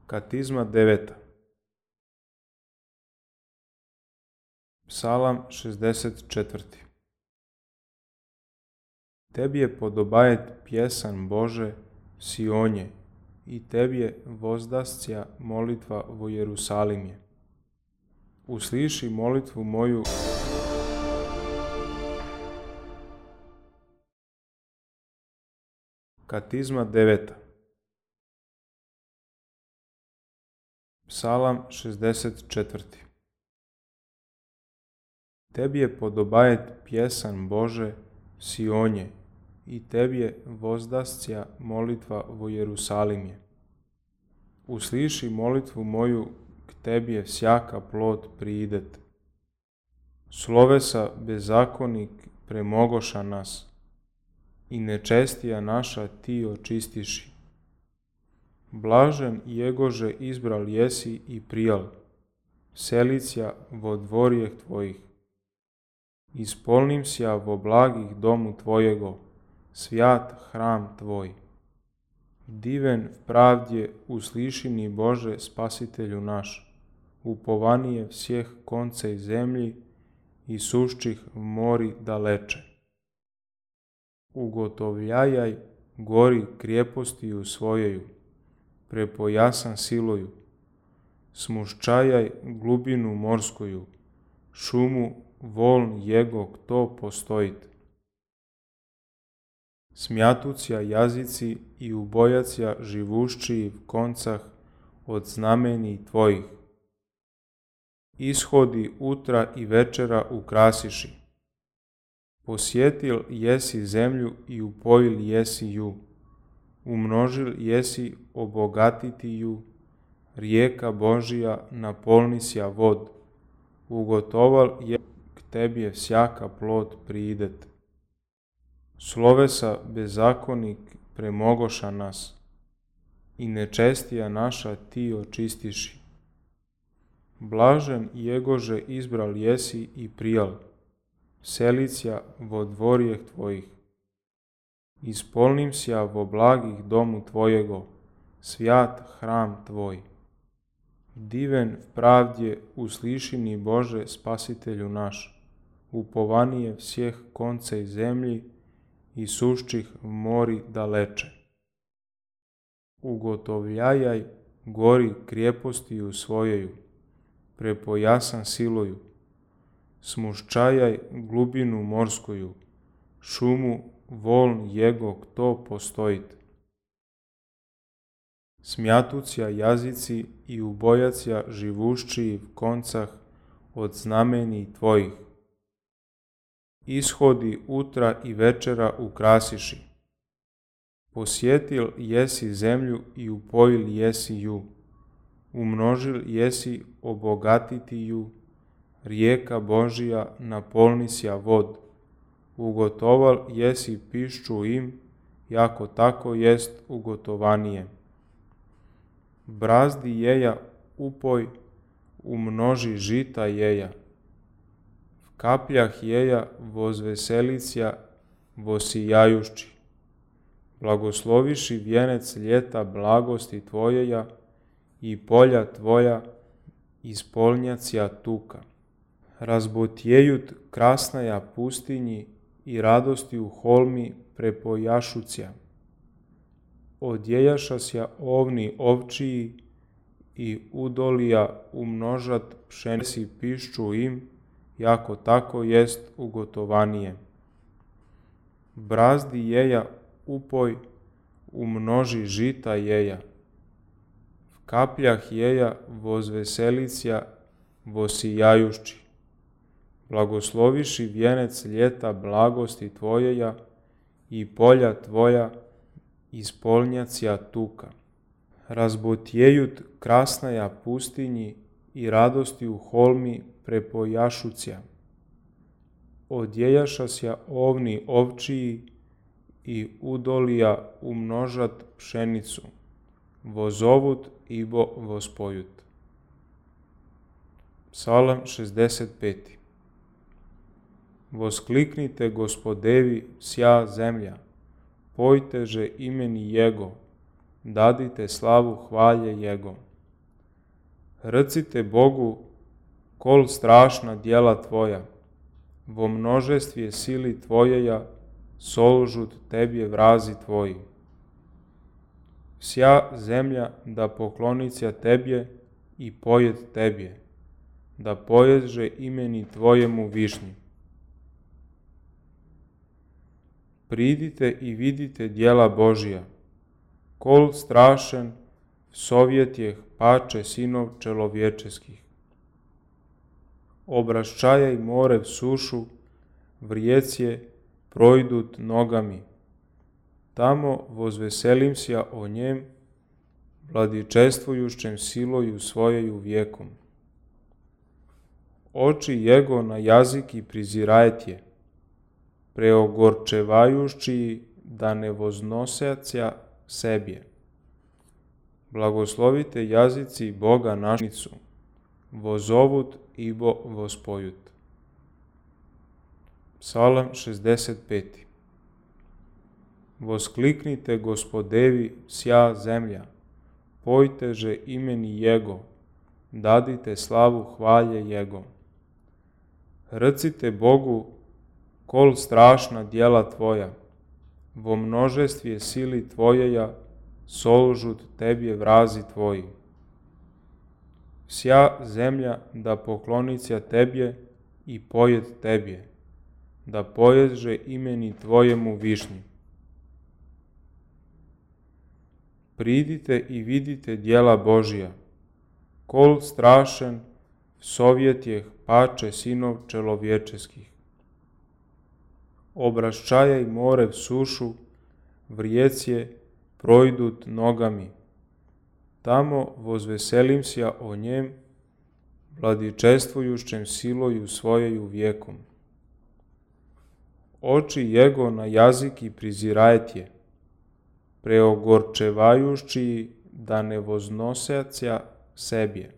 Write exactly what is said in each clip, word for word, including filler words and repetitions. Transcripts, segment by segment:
Katizma deveta. Psalam šezdeset četvrti. Tebi je podobajet pjesan Bože, Sionje, i tebi je vozdascija molitva vo Jerusalimje. Usliši molitvu moju. Katizma deveta. Psalam šezdeset četvrti. Tebi je podobajet pjesan Bože, Sionje, i tebi je vozdascija molitva vo Jerusalimje. Usliši molitvu moju, k tebi je всяка plod priidet. Slovesa bezakonik premogoša nas, i nečestija naša ti očistiši. Blažen jegože izbral jesi i prijal, selicija vo dvorjeh tvojih. Ispolnim sja vo blagih domu tvojego, svjat hram tvoj. Diven v pravdje uslišini Bože spasitelju naš, upovanije всех koncej zemlji i suščih v mori daleče. Ugotovljajaj gori krijepostiju svojeju, prepojasan siloju, smuščajaj glubinu morskoju, šumu voln jego kto postojit. Smjatucija jazici i ubojacija živuščiji v koncah od znameni tvojih. Ishodi utra i večera ukrasiši. Posjetil jesi zemlju i upojil jesi ju, umnožil jesi obogatiti ju, rijeka Božija napolnisja vod, ugotoval je k tebi je всяка plod priidet. Slovesa bezakonik premogoša nas, i nečestija naša ti očistiši. Blažen jegože izbral jesi i prijal, selicija vo dvorjeh tvojih. Ispolnim sja vo blagih domu tvojego, svjat hram tvoj. Diven v pravdje uslišini Bože spasitelju naš, upovanije всех koncej zemlji i suščih v mori daleče. Ugotovljajaj gori krijepostiju svojeju, prepojasan siloju, smuščajaj glubinu morskoju, šumu voln jego kto postojit. Smjatucija jazici i ubojacija živuščiji v koncah od znameni tvojih. Ishodi utra i večera ukrasiši. Posjetil jesi zemlju i upojil jesi ju, umnožil jesi obogatiti ju, rijeka Božija napolnisja vod, ugotoval jesi pišču im, jako tako jest ugotovanije. Brazdi jeja upoj, umnoži žita jeja. V kapljah jeja vozveselicija vosijajušći. Blagosloviši vjenec ljeta blagosti tvojeja i polja tvoja ispolnjacija tuka. Razbotjejut krasnaja pustinji i radosti u holmi prepojašucija. Odjejašasja ovni ovčiji i udolija umnožat pšenici pišču im, jako tako jest ugotovanije. Brazdi jeja upoj, umnoži žita jeja. V kapljah jeja vozveselicija vosijajušći. Blagosloviši vjenec ljeta blagosti tvojeja i polja tvoja ispolnjacija tuka. Razbotjejut krasnaja pustinji i radosti u holmi prepojašucija. Odjejašasja ovni ovčiji i udolija umnožat pšenicu, vozovut ibo vospojut. Psalam šezdeset peti. Voskliknite Gospodevi sja zemlja, pojteže imeni Jego, dadite slavu hvalje Jego. Recite Bogu, kol strašna djela tvoja, vo množestvje sili tvojeja, solžut tebje vrazi tvoji. Vsja zemlja da poklonicja tebje i pojed tebje, da poježe imeni tvojemu višnji. Pridite i vidite djela Božija, kol strašen sovjetjeh pače sinov čelovječeskih. Obraščajaj more v sušu, vrijecje projdut nogami. Tamo vozveselim sja o njem, vladičestvujušćem siloju svojeju vijekom. Oči jego na jaziki prizirajetje, preogorčevajušći da ne voznosecja sebje. Blagoslovite jazici Boga našnicu, vozovut ibo vospojut. Psalam šezdeset peti. Voskliknite Gospodevi sja zemlja, pojteže imeni Jego, dadite slavu hvalje Jego. Recite Bogu, kol strašna djela tvoja, vo množestvje sili tvojeja, solžut tebje vrazi tvoji. Vsja zemlja da poklonicja tebje i pojed tebje, da poježe imeni tvojemu višnji. Pridite i vidite djela Božija, kol strašen sovjetjeh pače sinov čelovječeskih. Obraščajaj more v sušu, vrijecje projdut nogami. Tamo vozveselim sja o njem, vladičestvujušćem siloju svojeju vijekom. Oči jego na jaziki prizirajetje, preogorčevajušći da ne voznosecja sebje.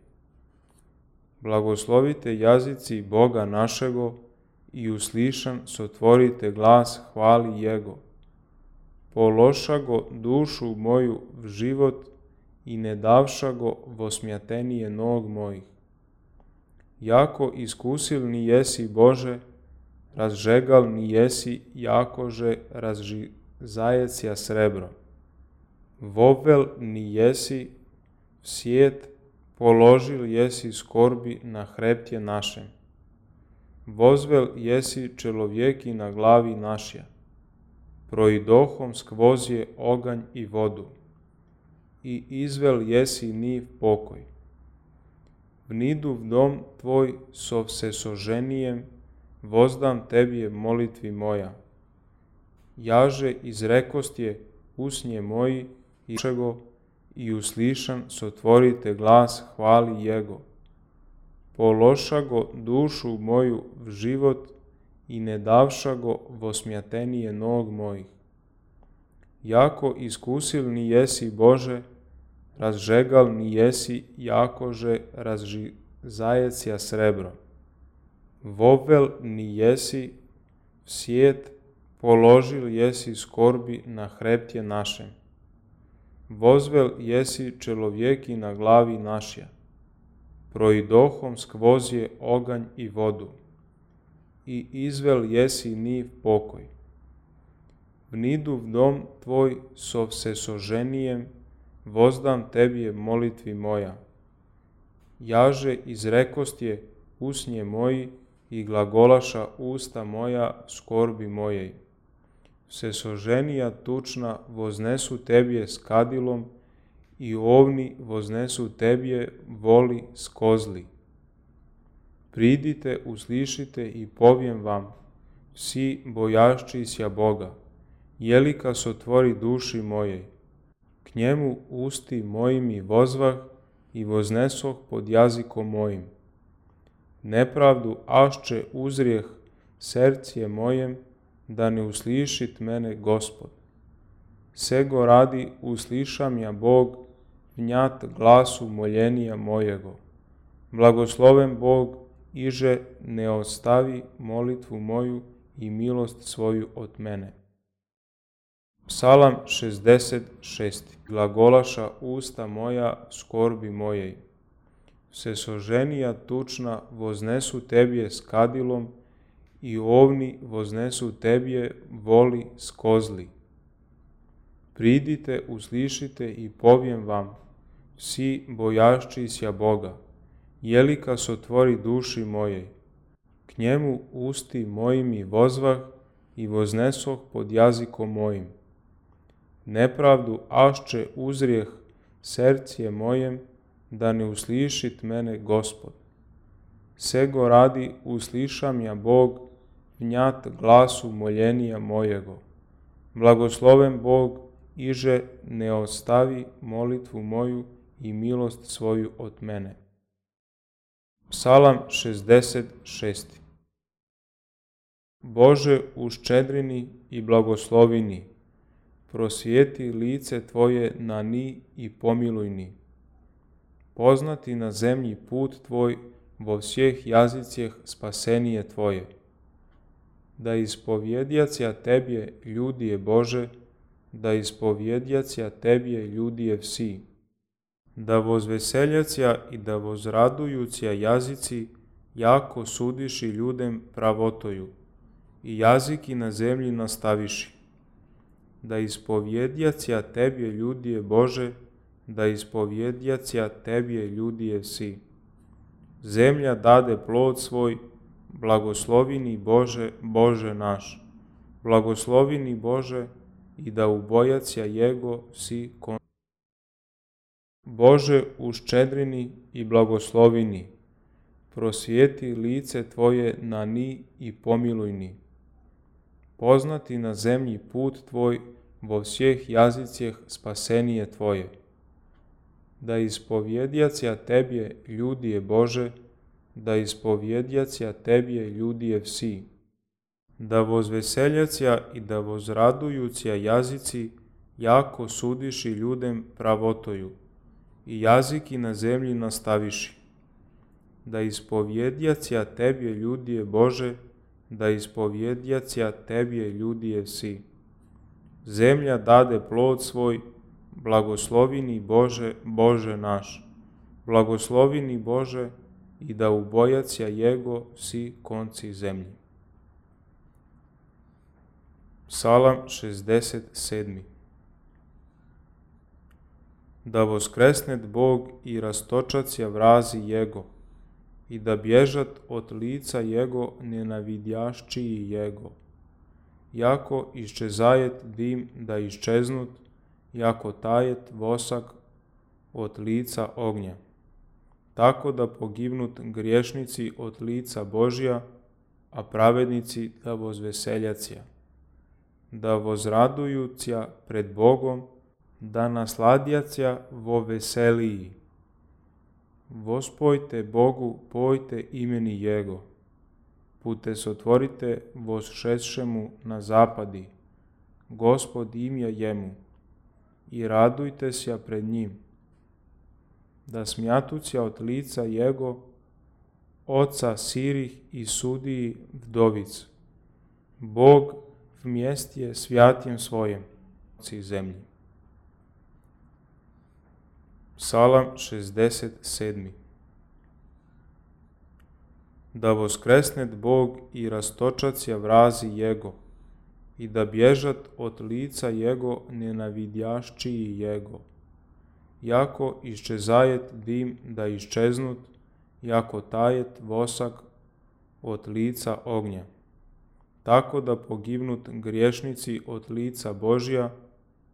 Blagoslovite jazici Boga našego i uslišan sotvorite glas hvali Jego. Pološa go dušu moju v život i ne davša go vosmjatenije nog mojih. Jako iskusilni jesi Bože, razžegalni jesi jakože razžizajecija srebro. Vovel ni jesi v svijet, položil jesi skorbi na hreptje našem. Vozvel jesi čelovjeki na glavi našja, proidohom skvozje oganj i vodu, i izvel jesi ni v pokoj. Vnidu v dom tvoj so vsesoženijem, vozdam tebje molitvi moja. Jaže izrekostje usnje moji i čego i uslišan sotvorite glas hvali Jego. Pološa go dušu moju v život i ne davša go vosmjatenije nog mojih. Jako iskusilni jesi Bože, razžegalni jesi jakože razžizajecija srebro. Vovel ni jesi v svijet, položil jesi skorbi na hreptje našem. Vozvel jesi čelovjeki na glavi našja, proidohom skvozje oganj i vodu, i izvel jesi ni v pokoj. Vnidu v dom tvoj so vsesoženijem, vozdam tebje molitvi moja. Jaže izrekostje usnje moji i glagolaša usta moja skorbi mojej. Vsesoženija tučna voznesu tebje s kadilom i ovni voznesu tebje voli s kozli. Pridite, uslišite i povijem vam, vsi bojaščisja Boga, jelika sotvori duši mojej. K njemu usti mojimi vozvah i voznesoh pod jazikom mojim. Nepravdu ašće uzrijeh sercije mojem, da ne uslišit mene Gospod. Sego radi uslišam ja Bog, vnjat glasu moljenija mojego. Blagosloven Bog, iže ne ostavi molitvu moju i milost svoju od mene. Psalam šezdeset šesti. Glagolaša usta moja skorbi mojej. Vsesoženija tučna voznesu tebje s kadilom i ovni voznesu tebje voli s kozli. Pridite, uslišite i povijem vam, vsi bojaščisja Boga, jelika sotvori duši mojej. K njemu usti mojimi vozvah i voznesoh pod jazikom mojim. Nepravdu ašće uzrijeh sercije mojem, da ne uslišit mene Gospod. Sego radi uslišam ja Bog, vnjat glasu moljenija mojego. Blagosloven Bog, iže ne ostavi molitvu moju i milost svoju od mene. Psalam šezdeset šesti. Bože, uščedrini i blagoslovini, prosvijetli lice Tvoje na ni i pomiluj ni. Poznati na zemlji put Tvoj, vo vseh jazicjeh spasenije Tvoje. Da ispovjedjacija Tebje ljudije Bože, da ispovjedjacija Tebje ljudije vsi. Da vozveseljacija i da vozradujucija jazici jako sudiši ljudem pravotoju i jaziki na zemlji nastaviši. Da ispovjedjacija Tebje ljudije Bože, da ispovjedjacija Tebje ljudije vsi. Zemlja dade plod svoj, blagoslovini Bože, Bože naš. Blagoslovini Bože i da ubojacija Jego vsi kon. Bože, uščedrini i blagoslovini, prosvijeti lice Tvoje na ni i pomiluj ni. Poznati na zemlji put Tvoj, vo vseh jazicjeh spasenije Tvoje. Da ispovjedjacija Tebje ljudije Bože, da ispovjedjacija Tebje ljudije vsi. Da vozveseljacija i da vozradujucija jazici jako sudiši ljudem pravotoju i jaziki na zemlji nastaviši. Da ispovjedjacija Tebje ljudije Bože, da ispovjedjacija Tebje ljudije vsi. Zemlja dade plod svoj, blagoslovini Bože, Bože naš. Blagoslovini Bože i da ubojacija Jego vsi konci zemlji. Psalam šezdeset sedmi. Da voskresnet Bog i rastočacija vrazi Jego i da bježat od lica Jego nenavidjaščiji Jego. Jako iščezajet dim da iščeznut, jako tajet vosak od lica ognja. Tako da pogibnut griješnici od lica Božja, a pravednici da vozveseljacija. Da vozradujucija pred Bogom, da nasladjacija vo veseliji. Vospojte Bogu, pojte imeni Jego. Pute sotvorite vosšešemu na zapadi. Gospod imja jemu. I radujte sja pred njim. Da smjatuća od lica Jego, oca sirih i sudiji vdovic. Bog vmjestje svjatjem svojem, oci zemlji. Psalam šezdeset sedmi. Da voskresnet Bog i rastočacija vrazi Jego i da bježat od lica Jego nenavidjaščiji Jego. Jako iščezajet dim da iščeznut, jako tajet vosak od lica ognja. Tako da pogibnut griješnici od lica Božja,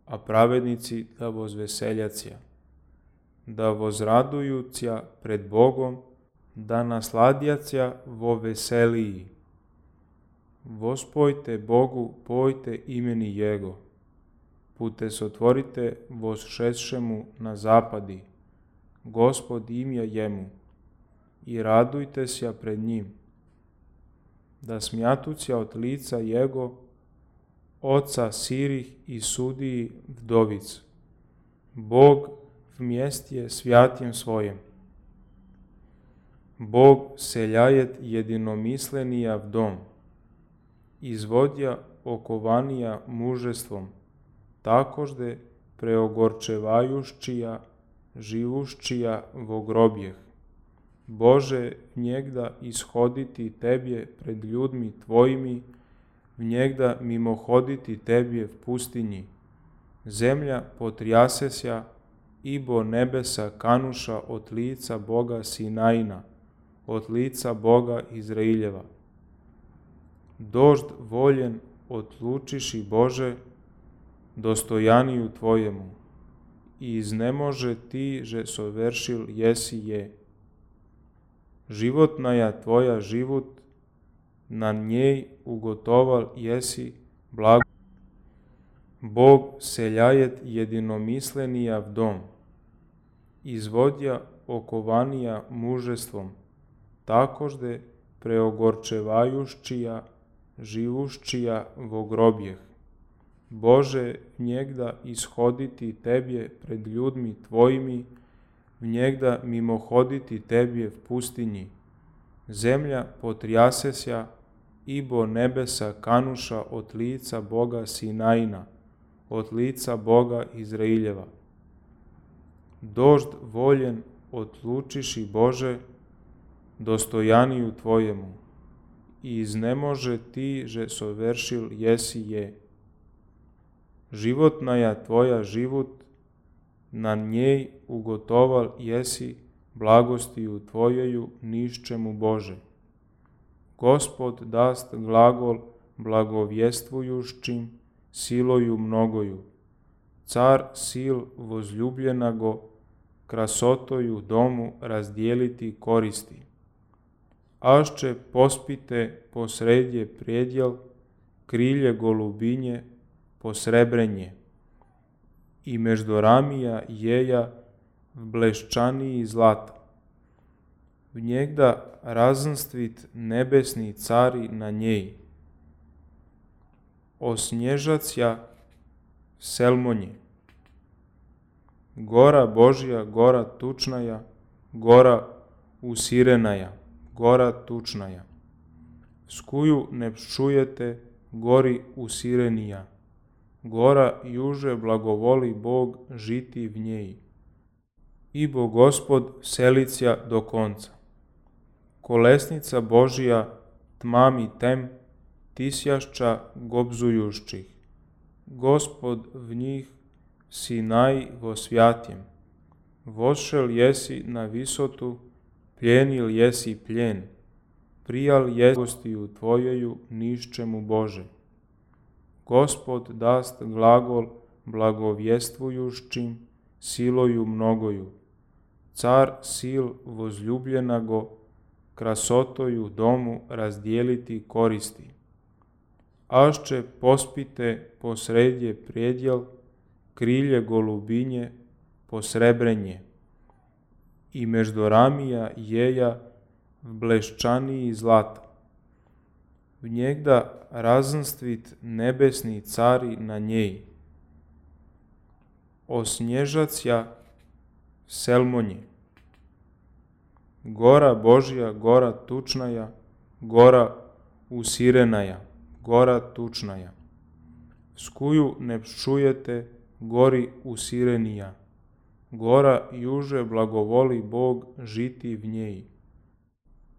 a pravednici da vozveseljacija. Da vozradujuća pred Bogom, da nasladjacija vo veseliji. Vospojte Bogu, pojte imeni Jego. Pute sotvorite vosšešemu na zapadi. Gospod imja jemu. I radujte sja pred njim. Da smjatuća od lica Jego, oca sirih i sudiji vdovic. Bog vmjestje svjatjem svojem. Bog seljajet jedinomislenia v dom. Izvodja okovanija mužestvom, takožde preogorčevajuščija, živuščija vo grobjeh. Bože, njegda ishoditi Tebje pred ljudmi Tvojimi, njegda mimohoditi Tebje v pustinji. Zemlja potrjasesja, ibo nebesa kanuša od lica Boga Sinajina, od lica Boga Izraeljeva. Dožd voljen odlučiši Bože, dostojaniju Tvojemu, i iznemože Ti, že soveršil jesi je. Životnaja Tvoja život, na njej ugotoval jesi blago. Bog seljajet jedinomislenia v dom, izvodja okovanija mužestvom, takožde preogorčevajuščija, živuščija vo grobjeh. Bože, njegda ishoditi Tebje pred ljudmi Tvojimi, njegda mimohoditi Tebje v pustinji. Zemlja potrjasesja, ibo nebesa kanuša od lica Boga Sinajina, od lica Boga Izraeljeva. Dožd voljen odlučiši Bože, dostojaniju Tvojemu, i iznemože Ti, že soveršil jesi je. Životnaja Tvoja život, na njej ugotoval jesi blagostiju Tvojeju niščemu Bože. Gospod dast glagol blagovjestvujuščim, siloju mnogoju. Car sil возлюбленago, krasotoju domu razdijeliti koristi. Ašće pospite posredje prijedjel, krilje golubinje, posrebrenje. I meždoramija jeja v bleščaniji zlata. V njegda razndstvit nebesni cari na njej. Osnježacja selmonje. Gora Božja, gora tučnaja, gora usirenaja, gora tučnaja. Skuju ne pščujete, gori usirenija. Gora juže blagovoli Bog žiti v njej. Ibo Gospod selicja do konca. Kolesnica Božja tmami tem, tisjašća gobzujušćih. Gospod v njih Sinaj vo svjatjem. Vošel jesi na visotu, pljenil jesi pljen. Prijal jesi gostiju Tvojeju niščemu Bože. Gospod dast glagol blagovjestvujuščim, siloju mnogoju. Car sil возлюбленago, krasotoju domu razdijeliti koristi. Ašće pospite posredje prijedjel, krilje golubinje, posrebrenje. I meždoramija jeja v bleščaniji zlata. V njegda razndstvit nebesni cari na njej. Osnježacja selmonje. Gora Božja, gora tučnaja, gora usirenaja, gora tučnaja. Skuju ne pščujete, gori usirenija. Gora juže blagovoli Bog žiti v njej.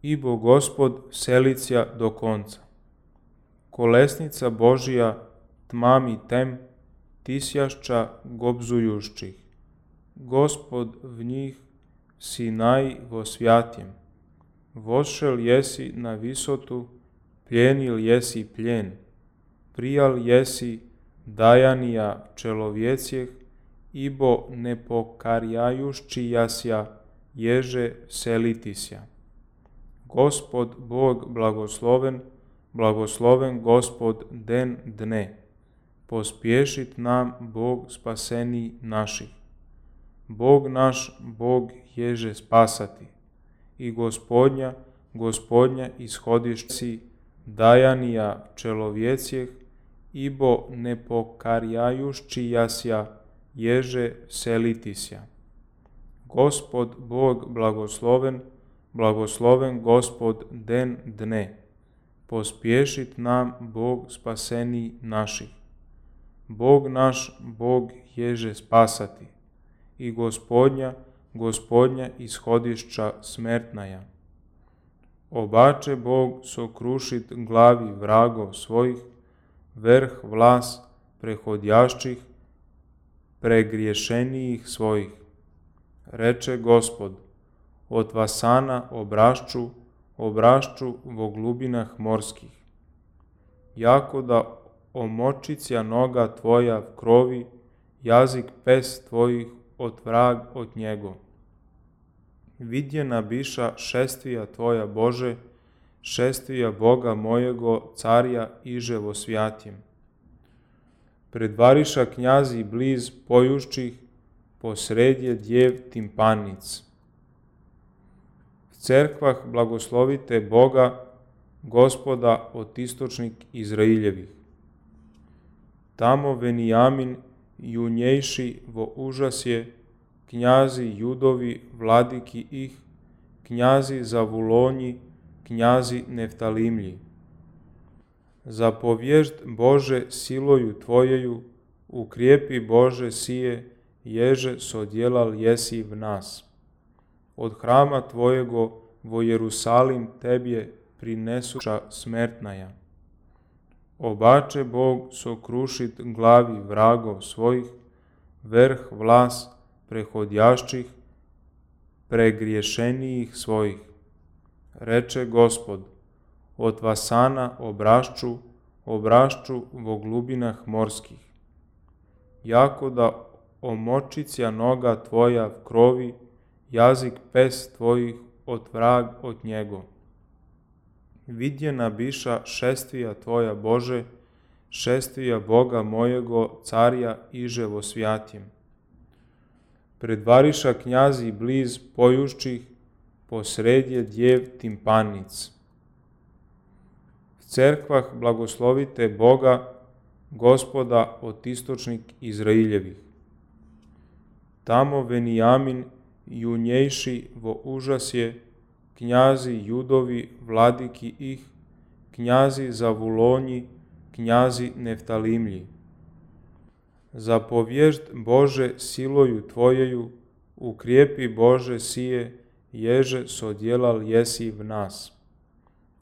Ibo Gospod selicja do konca. Kolesnica Božja tmami tem, tisjašća gobzujušćih. Gospod v njih Sinaj vo svjatjem. Vošel jesi na visotu, pljenil jesi pljen. Prijal jesi dajanija čelovjecjeh, ibo ne pokarjajušći jasja, ježe selitisja. Gospod Bog blagosloven, blagosloven Gospod den dne. Pospješit nam Bog spaseni naših. Bog naš, Bog ježe spasati. I Gospodnja, Gospodnja ishodišci dajanija čelovjecjeh, ibo ne pokarjajušći jasja, ježe selitisja. Gospod Bog blagosloven, blagosloven Gospod den dne. Pospješit nam Bog spaseni naših. Bog naš, Bog ježe spasati. I Gospodnja, Gospodnja ishodišća smertnaja. Obače Bog sokrušit glavi vragov svojih, vrh vlas prehodjašćih, pregriješenijih svojih. Reče Gospod, od vasana obrašću, obrašću vo glubinah morskih. Jako da omočicija noga tvoja v krovi, jazik pes tvojih od vrag od njego. Vidjena biša šestvija tvoja Bože, šestvija Boga mojego, carja iže vo svjatjem. Predvariša knjazi bliz pojušćih, posredje djev timpanic. V cerkvah blagoslovite Boga, Gospoda otistočnik Izraeljevih. Tamo Venijamin junjejši vo užas je, knjazi Judovi vladiki ih, knjazi Zavulonji, knjazi Neftalimlji. Zapovježd Bože siloju tvojeju, ukrijepi Bože sije, ježe sodjelal jesi v nas. Od hrama tvojego vo Jerusalim tebje prinesuša smertnaja. Obače Bog sokrušit glavi vragov svojih, vrh vlas prehodjašćih, pregriješenijih svojih. Reče Gospod, od vasana obrašću, obrašću vo glubinah morskih. Jako da omočicija noga tvoja v krovi, jazik pes tvojih od vrag od njego. Vidjena biša šestvija tvoja Bože, šestvija Boga mojego, carja iže vo svjatjem. Predvariša knjazi bliz pojušćih, posredje djev timpanic. V cerkvah blagoslovite Boga, Gospoda otistočnik Izraeljevih. Tamo Venijamin junjejši vo užas je, knjazi Judovi vladiki ih, knjazi Zavulonji, knjazi Neftalimlji. Zapovježd Bože siloju tvojeju, ukrijepi Bože sije, ježe sodjelal jesi v nas.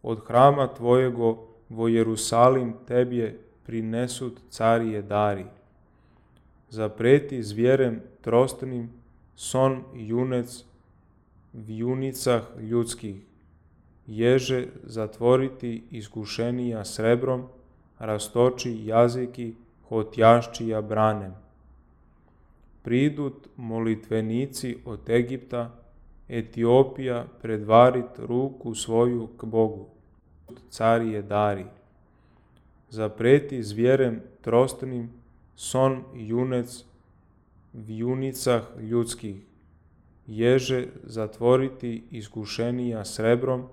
Od hrama tvojego vo Jerusalim tebje prinesut carije dari. Zapreti zvjerem trostnim, son junec v junicah ljudskih, ježe zatvoriti iskušenija srebrom, rastoči jaziki hotjaščija branem. Pridut molitvenici od Egipta, Etiopija predvarit ruku svoju k Bogu, carije dari. Zapreti zvjerem trostnim, son junec v junicah ljudskih, ježe zatvoriti iskušenija srebrom,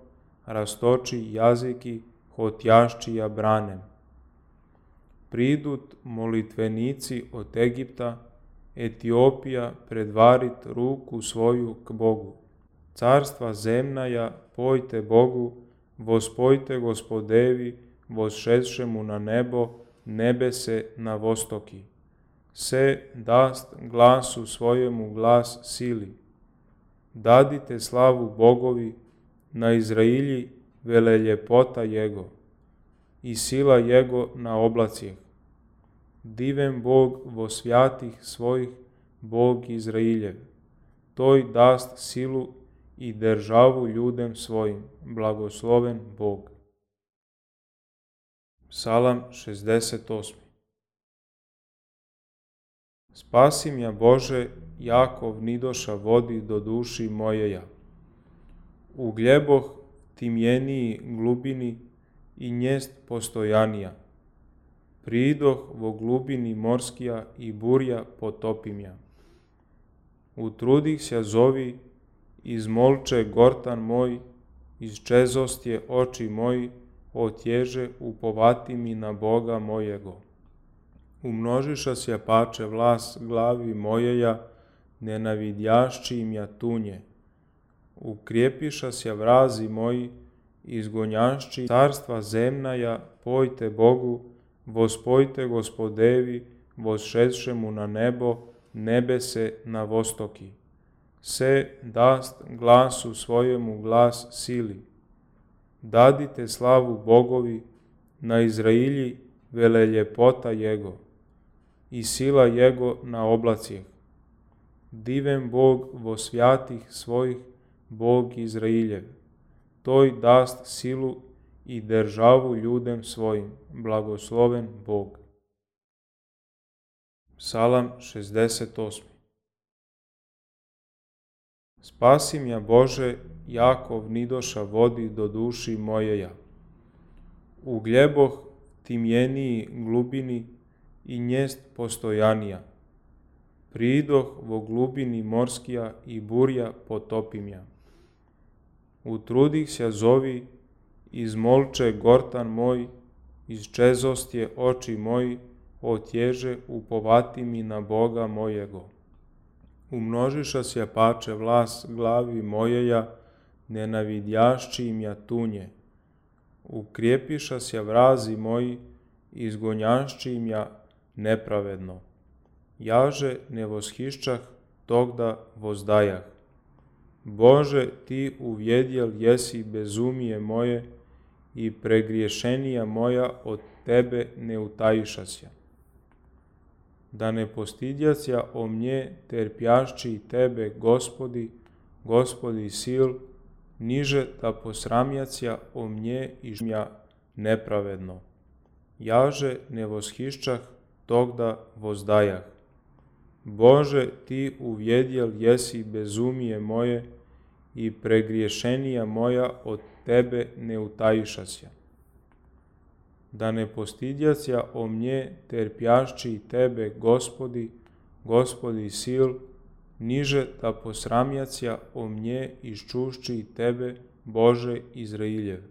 rastoči jaziki hotjaščija branem. Pridut molitvenici od Egipta, Etiopija predvarit ruku svoju k Bogu. Carstva zemnaja pojte Bogu, vospojte Gospodevi, vosšedšemu na nebo, nebese na vostoki. Se dast glasu svojemu glas sili. Dadite slavu Bogovi, na Izrailji vele ljepota Jego i sila Jego na oblacijeh. Diven Bog vo svjatih svojih, Bog Izrailjev. Toj dast silu i državu ljudem svojim, blagosloven Bog. Psalam šezdeset osmi. Spasi mja Bože, Jakov nidoša vodi do duši mojeja. U gljeboh timjeniji glubini i njest postojanija. Pridoh vo glubini morskija i burja potopimja. Utrudih se zovi, izmolče gortan moj, izčezostje oči moji, otježe upovati mi na Boga mojego. Umnožiša se pače vlas glavi mojeja, nenavidjašći im ja tunje. Ukrijepiša se vrazi moji, izgonjašći carstva zemnaja, pojte Bogu, vospojte Gospodevi, vosšedšemu na nebo, nebese na vostoki. se dast glasu svojemu glas sili. Dadite slavu Bogovi, na Izrailji vele ljepota Jego i sila Jego na oblacijeh. Diven Bog vo svjatih svojih, Bog Izrailjev. Toj dast silu i državu ljudem svojim, blagosloven Bog. Psalam šezdeset osmi. Spasi mja Bože, Jakov nidoša vodi do duši mojeja. U gljeboh timjeniji glubini i njest postojanija. Pridoh vo glubini morskija i burja potopimja. Utrudih sja zovi, izmolče gortan moj, izčezostje oči moji, otježe upovati mi na Boga mojego. Umnožiša sja pače vlas glavi mojeja, nenavidjašći mja tunje. Ukrijepiša sja vrazi moji, izgonjašći mja nepravedno. Jaže ne voshišćah, togda vozdajah. Bože, ti uvjedjel jesi bezumije moje i pregriješenija moja od tebe ne utajišasja. Da ne postidjasja o mnje terpjašći tebe, Gospodi, Gospodi sil, niže da posramjasja o mnje i žmja nepravedno. Jaže ne voshišćah, togda vozdajah. Bože, ti uvjedjel jesi bezumije moje i pregriješenija moja od tebe ne utajišasja. Da ne postidjasja o mnje terpjašći tebe, Gospodi, Gospodi sil, niže da posramjasja o mnje iščušći tebe, Bože Izrailjev.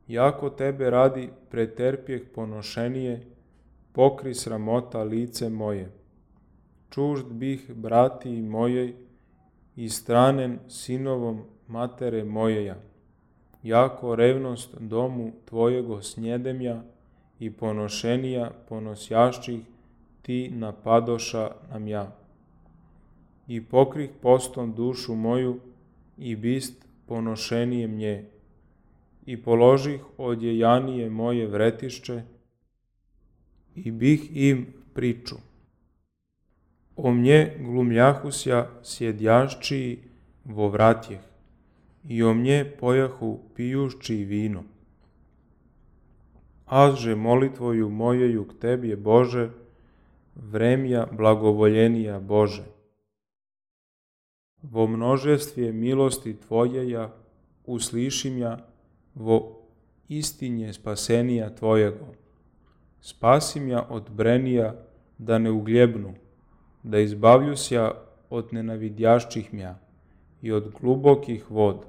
Jako tebe radi preterpjeh ponošenije, pokri sramota lice moje. Čužd bih brati mojej i stranen sinovom matere mojeja. Jako revnost domu tvojego snjedemja i ponošenija ponosjašćih ti napadoša nam ja. I pokrih postom dušu moju i bist ponošenije mnje. I položih odjejanije moje vretišće i bih im priču. O mnje glumljahusja sjedjašći vo vratjeh i o mnje pojahu pijušći vino. Azže molitvoju mojeju k tebje, Bože, vremja blagovoljenija Bože. Vo množestvje milosti tvojeja uslišim ja, vo istinje spasenija tvojego. Spasim ja od brenija da ne ugljebnu, da izbavljusja od nenavidjašćih mja i od glubokih vod,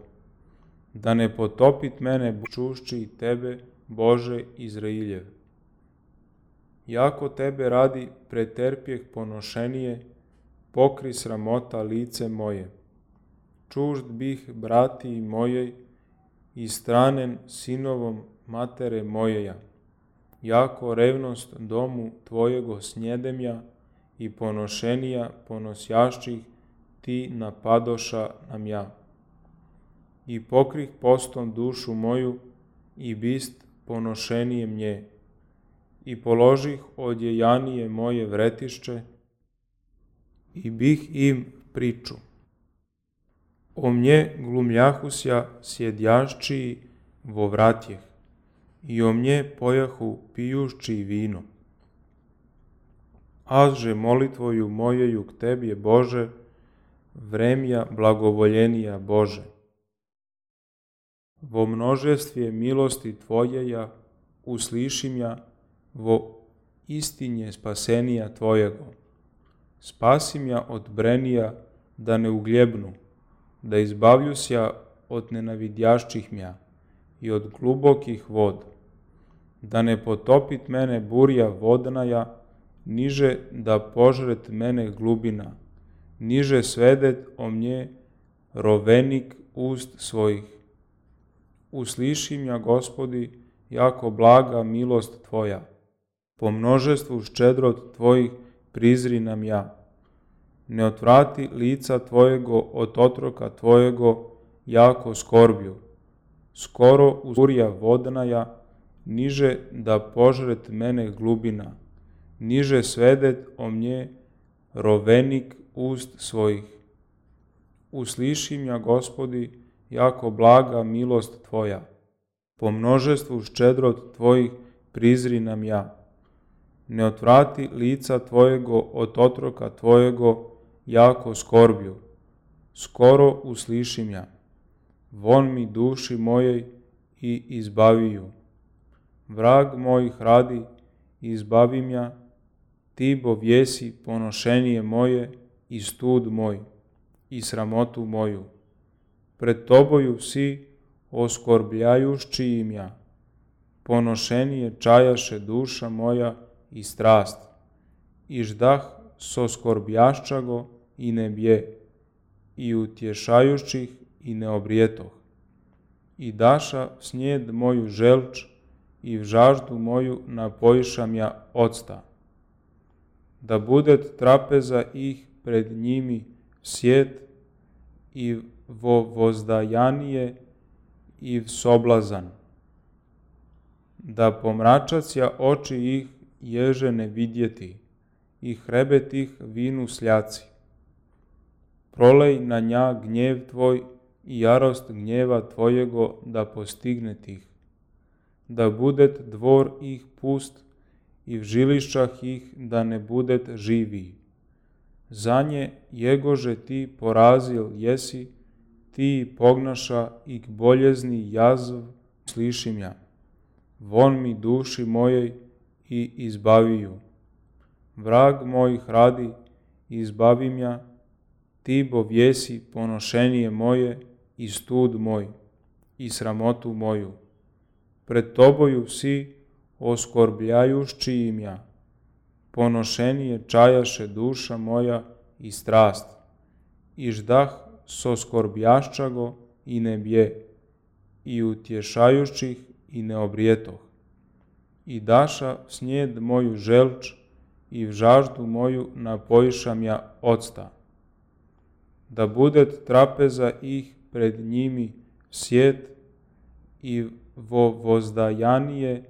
da ne potopit mene čušći tebe, Bože Izrailjev. Jako tebe radi preterpjeh ponošenije, pokri sramota lice moje. Čužd bih brati mojej i stranen sinovom matere mojeja. Jako revnost domu tvojego snjedemja i ponošenija ponosjašćih ti napadoša nam ja. I pokrih postom dušu moju i bist ponošenije mnje. I položih odjejanije moje vretišće i bih im priču. O mnje glumljahusja sjedjašći vo vratjeh i o mnje pojahu pijušći vino. Azže molitvoju mojeju k tebje, Bože, vremja blagovoljenija Bože. Vo množestvje milosti tvojeja uslišim ja, vo istinje spasenija tvojego. Spasim ja od brenija da ne ugljebnu, da izbavljusja od nenavidjašćih mja i od glubokih vod, da ne potopit mene burja vodnaja, niže da požret mene glubina, niže svedet o mnje rovenik ust svojih. Uslišim ja, Gospodi, jako blaga milost tvoja, po množestvu ščedrot tvojih prizri nam ja. Ne otvrati lica tvojego od otroka tvojego, jako skorbju. Skoro uzurja vodnaja, niže da požret mene glubina, niže svedet o mnje rovenik ust svojih. Usliši mja, Gospodi, jako blaga milost tvoja. Po množestvu ščedrot tvojih prizri nam ja. Ne otvrati lica tvojego od otroka tvojego, jako skorbju. Skoro usliši mja. Von mi duši mojej i izbavi ju. Vrag mojih radi, izbavi mja, ti bo vjesi ponošenije moje i stud moj, i sramotu moju. Pred toboju vsi oskorbljajušći imja, ponošenije čajaše duša moja i strast, i ždah soskorbjašćago i ne bje, i utješajućih i ne obrijetoh. I daša snijed moju želč, i v žaždu moju napojiša mja octa. Da budet trapeza ih pred njimi sjet, i vo vozdajanije i v soblazan. Da pomračacija oči ih ježe ne vidjeti, i hrebet ih vinu sljaci. Prolej na nja gnjev tvoj i jarost gnjeva tvojego da postigne ih. Da budet dvor ih pust i v žilišćah ih da ne budet živi. Za nje jegože ti porazil jesi, ti pognaša i k boljezni jazv sliši mja. Von mi duši mojej i izbavi ju. Vrag mojih radi, izbavi mja, ti bo vjesi ponošenije moje i stud moj, i sramotu moju. Pred toboju vsi oskorbljajušći imja, ponošenije čajaše duša moja i strast, i ždah soskorbjašćago i ne bje, i utješajućih i ne obrijetoh. I daša snijed moju želč, i v žaždu moju napojiša mja octa. Da budet trapeza ih pred njimi sjet, i vo vozdajanije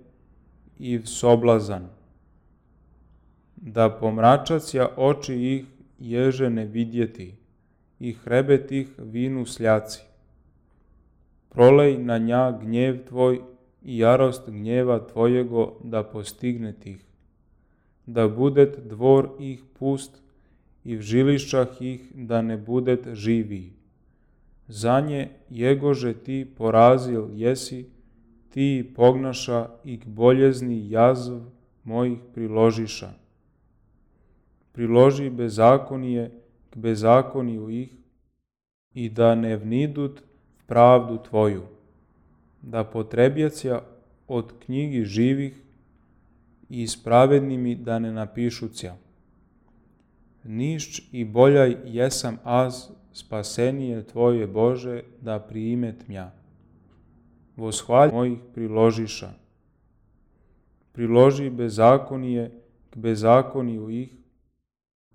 i v soblazan. Da pomračacija oči ih ježe ne vidjeti, i hrebet ih vinu sljaci. Prolej na nja gnjev tvoj i jarost gnjeva tvojego da postigne ih. Da budet dvor ih pust i v žilišćah ih da ne budet živi. Za nje jegože ti porazil jesi, ti pognaša i k boljezni jazv mojih priložiša. Priloži bezakonije k bezakoniju ih, i da ne vnidut v pravdu tvoju. Da potrebjacija od knjigi živih i s pravednimi da ne napišucija. Nišć i boljaj jesam az, spasenije tvoje Bože da priimet mja. Voshvalj mojih priložiša. Priloži bezakonije k bezakoniju ih,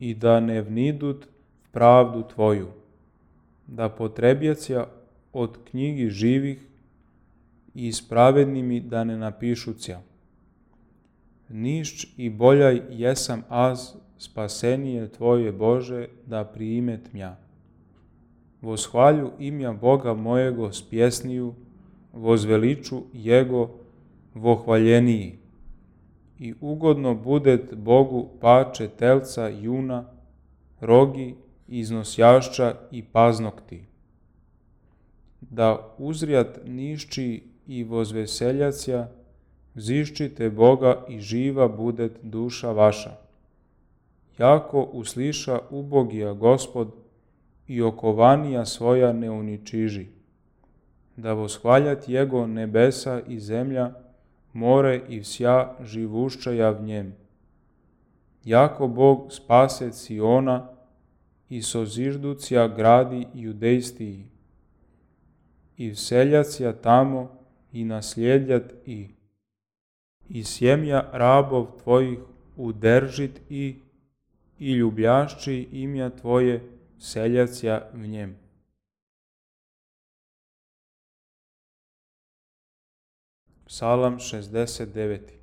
i da ne vnidut v pravdu tvoju. Da potrebjacija od knjigi živih i s pravednimi da ne napišucija. Nišć i boljaj jesam az, spasenije tvoje Bože da priimet mja. Voshvalju imja Boga mojego s pjesniju, vozveliču Jego vohvaljeniji. I ugodno budet Bogu pače telca juna, rogi, iznosjašća i paznokti. Da uzrijat nišći i vozveseljacija, ziščite Boga i živa budet duša vaša. Jako usliša ubogija Gospod i okovanija svoja ne uničiži. Da voshvaljat Jego nebesa i zemlja, more i vsja živuščaja v njem. Jako Bog spase Siona i sozižducija gradi judejstiji. I vseljacija tamo i nasljedjat i. I sjemja rabov tvojih udržit i, i ljubljašći imja Tvoje, seljacija v njem. Psalam šezdeset deveti.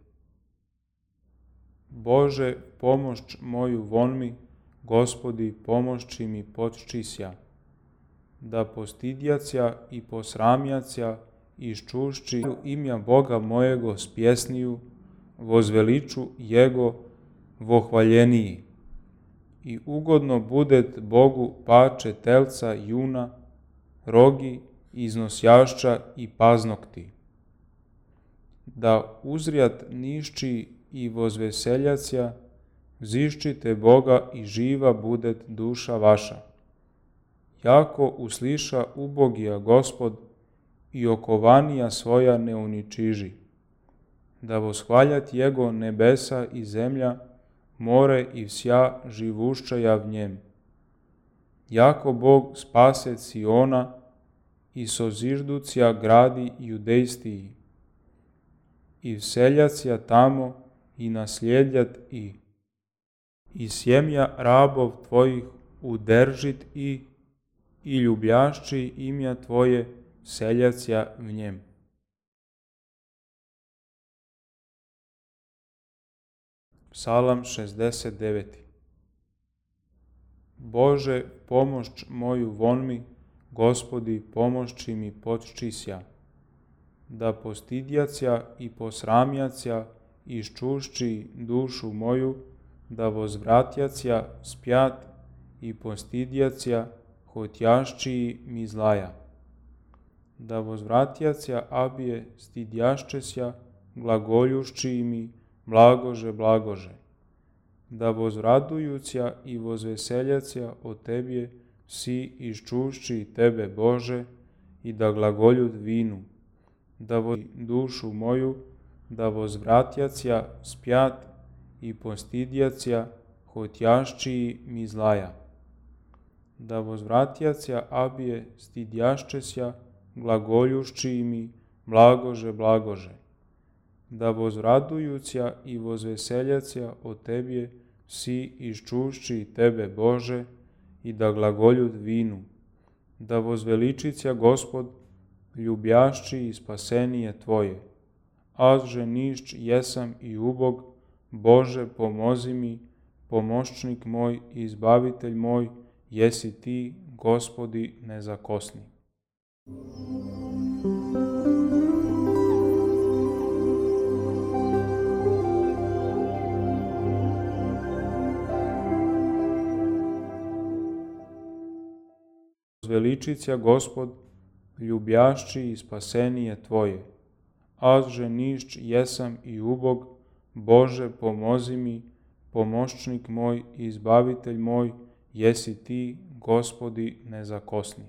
Bože, pomošć moju von mi, Gospodi, pomošći mi potčisja, da postidjacija i posramjacija iščušći imja Boga mojego s pjesniju, vozveliču Jego vohvaljeniji. I ugodno budet Bogu pače telca juna, rogi, iznosjašća i paznokti. Da uzrijat nišći i vozveseljacija, ziščite Boga i živa budet duša vaša. Jako usliša ubogija Gospod i okovanija svoja ne uničiži. Da voshvaljat Jego nebesa i zemlja, more i vsja živuščaja v njem. Jako Bog spase Siona i sozižducija gradi judejstiji. I vseljacija tamo i nasljedjat i. I sjemja rabov Tvojih udržit i, i ljubljašći imja Tvoje, seljacija v njem. Psalam šezdeset deveti. Bože, pomošć moju von mi, Gospodi, pomošći mi potčisja, da postidjacija i posramjacija iščušći dušu moju, da vozvratjacija spjat i postidjacija hotjašći mi zlaja. Da vozvratjacija abije stidjaščesja glagoljušći mi blagože, blagože. Da vozradujucija i vozveseljacija o Tebje si iščušći Tebe, Bože, i da glagoljud vinu. Da voz dušu moju, da vozvratjacija spjat i postidjacija hotjašći mi zlaja. Da vozvratjacija abije stidjaščesja glagoljušći mi blagože, blagože. Da vozradujucija i vozveseljacija o Tebje si iščušći Tebe, Bože, i da glagoljud vinu. Da vozveličicija Gospod, ljubljašći i spasenije Tvoje. Azže nišć jesam i ubog, Bože, pomozi mi, pomoščnik moj i izbavitelj moj, jesi Ti, Gospodi, nezakosni. Veličicija Gospod, ljubljašći i spasenije Tvoje. Azže nišć jesam i ubog, Bože, pomozi mi, pomoščnik moj i izbavitelj moj, jesi Ti, Gospodi, nezakosni.